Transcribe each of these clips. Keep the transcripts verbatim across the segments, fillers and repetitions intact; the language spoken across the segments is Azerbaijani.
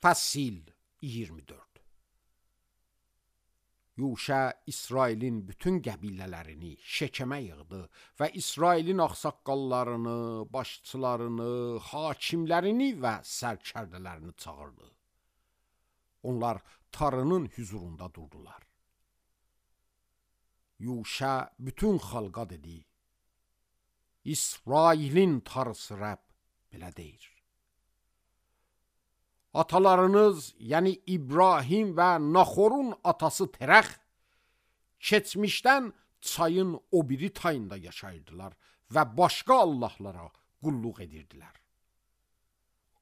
Fəsil iyirmi dörd. Yuşa İsrailin bütün qəbilələrini Şekemə yığdı və İsrailin ağsaqqallarını, başçılarını, hakimlərini və sərkərdələrini çağırdı. Onlar Tarının hüzurunda durdular. Yuşa bütün xalqa dedi: İsrailin Tarısı Rəbb belə deyir: Atalarınız, yəni İbrahim və Naxorun atası Terəx, keçmişdən çayın o biri tayında yaşayırdılar və başqa allahlara qulluq edirdilər.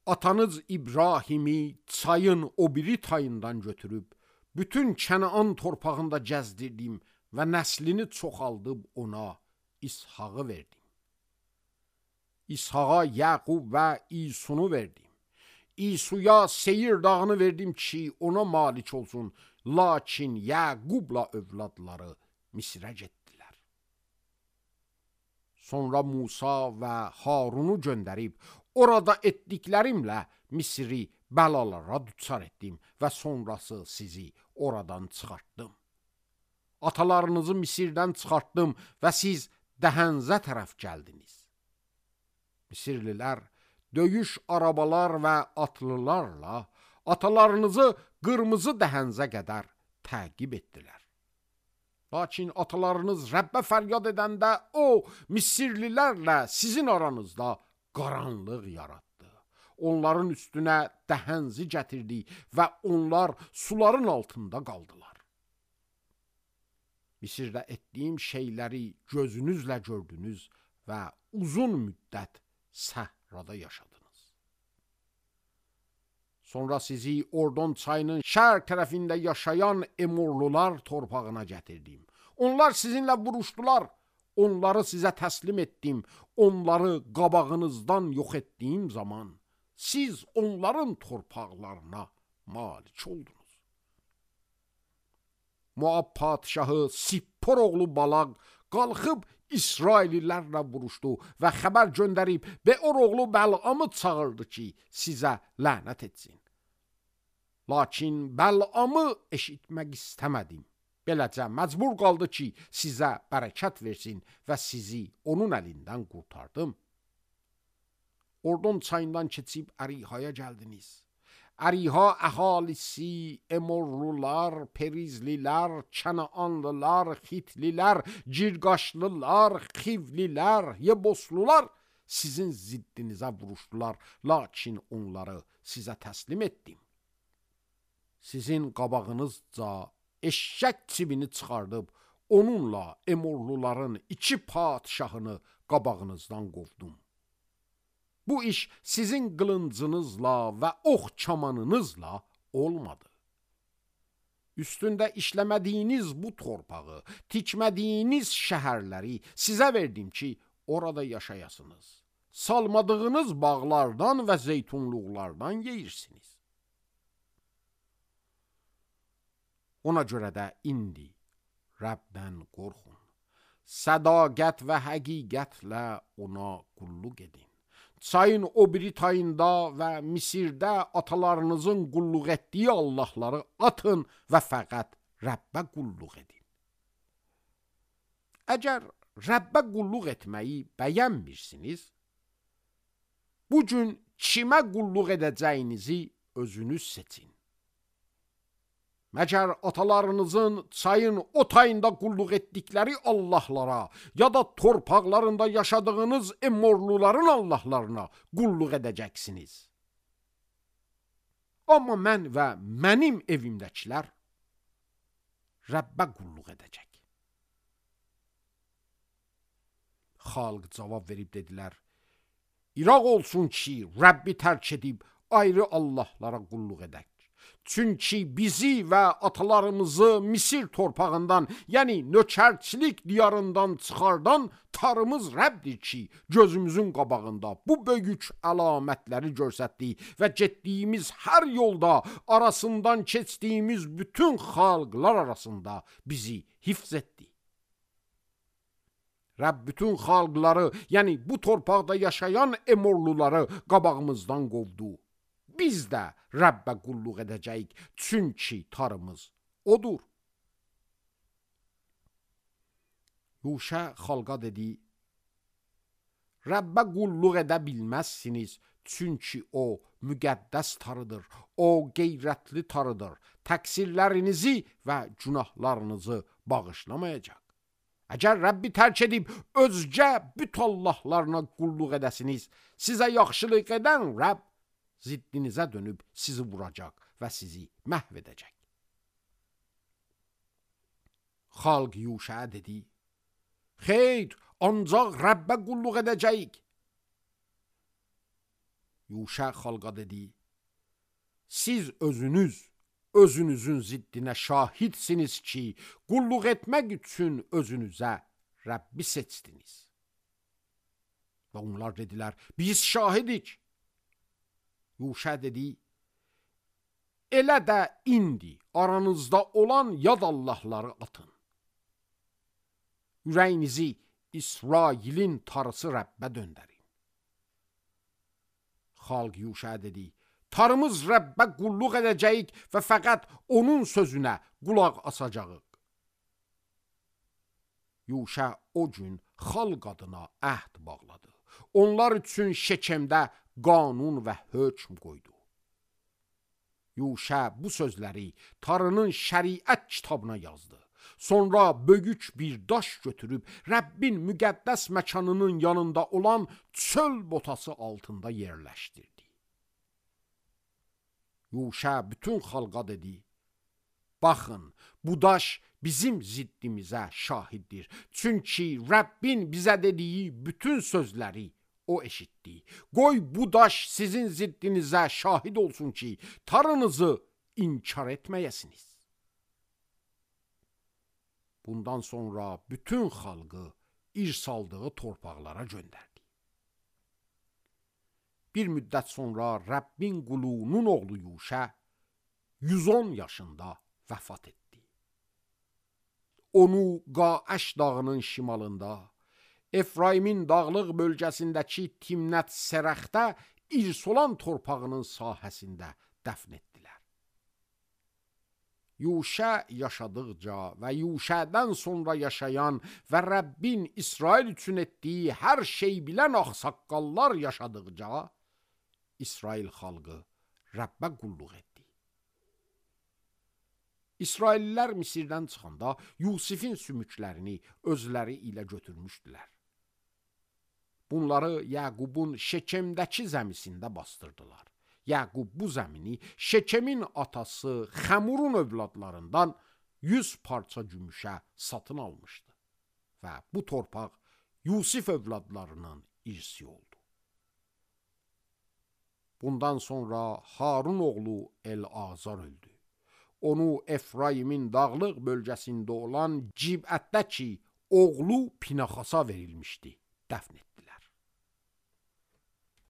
Atanız İbrahimi çayın o biri tayından götürüb, bütün Kənaan torpağında gəzdirdim və nəslini çoxaldıb ona İshağı verdim. İshağa Yaqub və İsunu verdim. İsuya Seyir dağını verdim ki, ona malik olsun. Lakin Yaqubla övladları Misrə getdilər. Sonra Musa və Harunu göndərib, orada etdiklərimlə Misri bəlalara düçar etdim və sonrası sizi oradan çıxartdım. Atalarınızı Misirdən çıxartdım və siz Dəhənzə tərəf gəldiniz. Misirlilər döyüş arabalar və atlılarla atalarınızı qırmızı Dəhənzə qədər təqib etdilər. Lakin atalarınız Rəbbə fəryad edəndə o, Misirlilərlə sizin aranızda qaranlıq yaratdı. Onların üstünə Dəhənzi gətirdi və onlar suların altında qaldılar. Misirdə etdiyim şeyləri gözünüzlə gördünüz və uzun müddət səhrada yaşadınız. Sonra sizi Ordon çayının şərq tərəfində yaşayan Emorlular torpağına gətirdim. Onlar sizinlə vuruşdular. Onları sizə təslim etdim. Onları qabağınızdan yox etdiyim zaman siz onların torpaqlarına malik oldunuz. Moab padşahı Sippor oğlu Balaq qalxıb İsraillilərlə vuruşdu və xəbər göndərib Beor oğlu Bəl'amı çağırdı ki, sizə lənət etsin. Lakin Bəl'amı eşitmək istəmədim. Beləcə məcbur qaldı ki, sizə bərəkət versin və sizi onun əlindən qurtardım. Ordon çayından keçib Ərihaya gəldiniz. Əriha əhalisi Emorlular, Perizlilər, Kənaanlılar, Xitlilər, Cirqaşlılar, Xivlilər, Yeboslular sizin ziddinizə vuruşdular, lakin onları sizə təslim etdim. Sizin qabağınızca eşşək çibini çıxardıb, onunla Emorluların iki padşahını qabağınızdan qovdum. Bu iş sizin qılıncınızla və ox kamanınızla olmadı. Üstündə işləmədiyiniz bu torpağı, tikmədiyiniz şəhərləri sizə verdim ki, orada yaşayasınız. Salmadığınız bağlardan və zeytunluqlardan yeyirsiniz. Ona görə də indi Rəbdən qorxun. Sədaqət və həqiqətlə ona qulluq edin. Çayın o biri tayında və Misirdə atalarınızın qulluq etdiyi allahları atın və fəqət Rəbbə qulluq edin. Əgər Rəbbə qulluq etməyi bəyənmirsiniz, bu gün kimə qulluq edəcəyinizi özünüz seçin. Məgər atalarınızın çayın o tayında qulluq etdikləri allahlara ya da torpaqlarında yaşadığınız Emorluların allahlarına qulluq edəcəksiniz. Amma mən və mənim evimdəkilər Rəbbə qulluq edəcək. Xalq cavab verib dedilər: İraq olsun ki, Rəbbi tərk edib ayrı allahlara qulluq edək. Çünki bizi və atalarımızı Misir torpağından, yəni nökərçilik diyarından çıxardan Tarımız Rəbbdir ki, gözümüzün qabağında bu böyük əlamətləri göstərdi və getdiyimiz hər yolda arasından keçdiyimiz bütün xalqlar arasında bizi hifz etdi. Rəbb bütün xalqları, yəni bu torpaqda yaşayan Emorluları qabağımızdan qovdu. biz də Rəbbə qulluq edəcəyik, çünki tarımız odur. Yuşa xalqa dedi, Rəbbə qulluq edə bilməzsiniz, çünki o müqəddəs tarıdır, o qeyrətli tarıdır, təqsirlərinizi və günahlarınızı bağışlamayacaq. Əgər Rəbbi tərk edib özgə büt Allahlarına qulluq edəsiniz, sizə yaxşılıq edən Rəbb ziddinizə dönüb sizi vuracaq və sizi məhv edəcək. Xalq Yuşaya dedi, xeyr, ancaq Rəbbə qulluq edəcəyik. Yuşa xalqa dedi, siz özünüz, özünüzün ziddinə şahidsiniz ki, qulluq etmək üçün özünüzə Rəbbi seçdiniz. Və onlar dedilər, biz şahidik. Yuşa dedi, elə də indi aranızda olan yad Allahları atın. Ürəyinizi İsrailin tarısı Rəbbə döndərin. Xalq Yuşa dedi, tarımız Rəbbə qulluq edəcəyik və fəqət onun sözünə qulaq asacağıq. Yuşa o gün xalq adına əhd bağladı. Onlar üçün Şekemdə qanun və hökm qoydu. Yuşa bu sözləri tarının şəriət kitabına yazdı. Sonra böyük bir daş götürüb Rəbbin müqəddəs məkanının yanında olan çöl botası altında yerləşdirdi. Yuşa bütün xalqa dedi, baxın, bu daş bizim ziddimizə şahiddir. Çünki Rəbbin bizə dediyi bütün sözləri o eşitdi. Qoy bu daş sizin ziddinizə şahid olsun ki, tarınızı inkar etməyəsiniz. Bundan sonra bütün xalqı irsaldığı torpaqlara göndərdi. Bir müddət sonra Rəbbin qulunun oğlu Yuşa yüz on yaşında vəfat etdi. Onu Qaəş dağının şimalında, Efraimin dağlıq bölgəsindəki Timnət Serəxdə irs olan torpağının sahəsində dəfn etdilər. Yuşa yaşadıqca və Yuşadan sonra yaşayan və Rəbbin İsrail üçün etdiyi hər şey bilən ağsaqqallar yaşadıqca, İsrail xalqı Rəbbə qulluq etdi. İsraillilər Misirdən çıxanda Yusifin sümüklərini özləri ilə götürmüşdülər. Bunları Yaqubun Şekemdəki zəmisində bastırdılar. Yaqub bu zəmini Şekemin atası Xəmurun övladlarından yüz parça gümüşə satın almışdı. Və bu torpaq Yusif övladlarının irsi oldu. Bundan sonra Harun oğlu El-Azar öldü. Onu Efraimin dağlıq bölgəsində olan Cibətdəki oğlu Pinaxasa verilmişdi, dəfn etdilər.